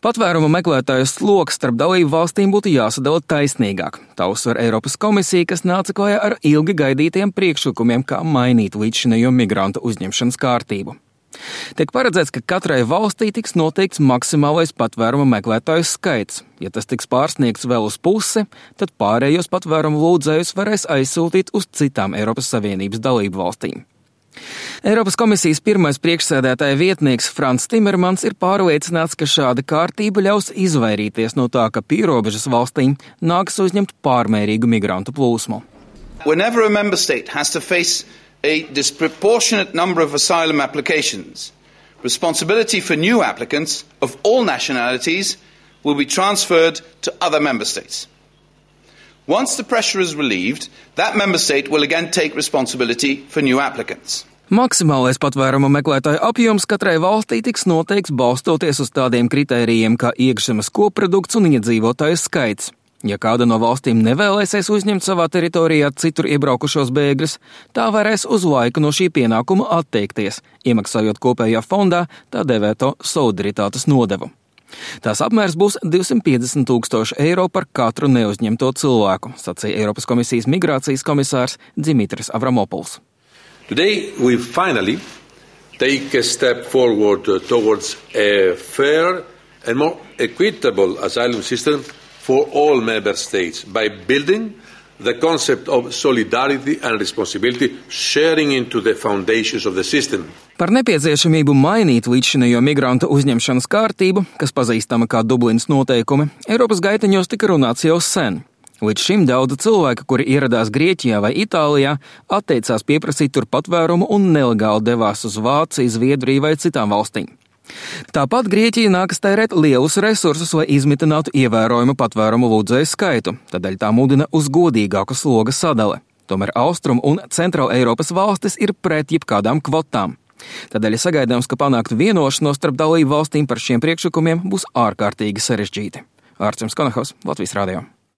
Patvērumu meklētāju sloks starp dalību valstīm būtu jāsadala taisnīgāk. Tā uzsver Eiropas komisija, kas nāca klajā ar ilgi gaidītiem priekšlikumiem, kā mainīt līdzšinējo migrantu uzņemšanas kārtību. Tiek paredzēts, ka katrai valstī tiks noteikts maksimālais patvērumu meklētāju skaits. Ja tas tiks pārsniegts vēl uz pusi, tad pārējos patvērumu lūdzējus varēs aizsūtīt uz citām Eiropas Savienības dalību valstīm. Eiropas komisijas pirmais priekšsēdētāja vietnieks Frans Timermans ir pārliecināts, ka šāda kārtība ļaus izvairīties no tā, ka pierobežas valstīm nāks uzņemt pārmērīgu migrantu plūsmu. Whenever a member state has to face a disproportionate number of asylum applications, responsibility for new applicants of all nationalities will be transferred to other member states. Once the pressure is relieved, that member state will again take responsibility for new applicants. Maksimālais patvērumu meklētāju apjoms katrai valstī tiks noteikts balstoties uz tādiem kritērijiem kā iekšzemes koprodukts un iedzīvotāju skaits. Ja kāda no valstīm nevēlēsies uzņemt savā teritorijā citur iebraukušos bēgļus, tā varēs uz laiku no šī pienākuma atteikties, iemaksājot kopējā fondā tā dēvēto solidaritātes nodevu. Tās apmērs būs 250 000 eiro par katru neuzņemto cilvēku, sacīja Eiropas komisijas migrācijas komisārs Dimitris Avramopuls. Today we finally take a step forward towards a fair and more equitable asylum system for all member states by building the concept of solidarity and responsibility, sharing into the foundations of the system. Par nepieciešamību mainīt līdzšinējo migrantu uzņemšanas kārtību, kas pazīstama kā Dublinas noteikumi, Eiropas gaiteņos tika runāts jau sen. Līdz šim daudzi cilvēki, kuri ieradās Grieķijā vai Itālijā, atteicās pieprasīt tur patvērumu un nelegāli devās uz Vāciju, Zviedriju vai citām valstīm. Tāpat Grieķija nākas tērēt lielus resursus, lai izmitinātu ievērojumu patvērumu lūdzēju skaitu, tādēļ tā mudina uz godīgāku sloga sadali. Tomēr Austrum un Centrāla Eiropas valstis ir pret jebkādām kvotām. Tādēļ sagaidāms, ka panākt vienošanos starp dalību valstīm par šiem priekšlikumiem būs ārkārtīgi sarežģīti. Ārcems Konahaus, Latvijas radio.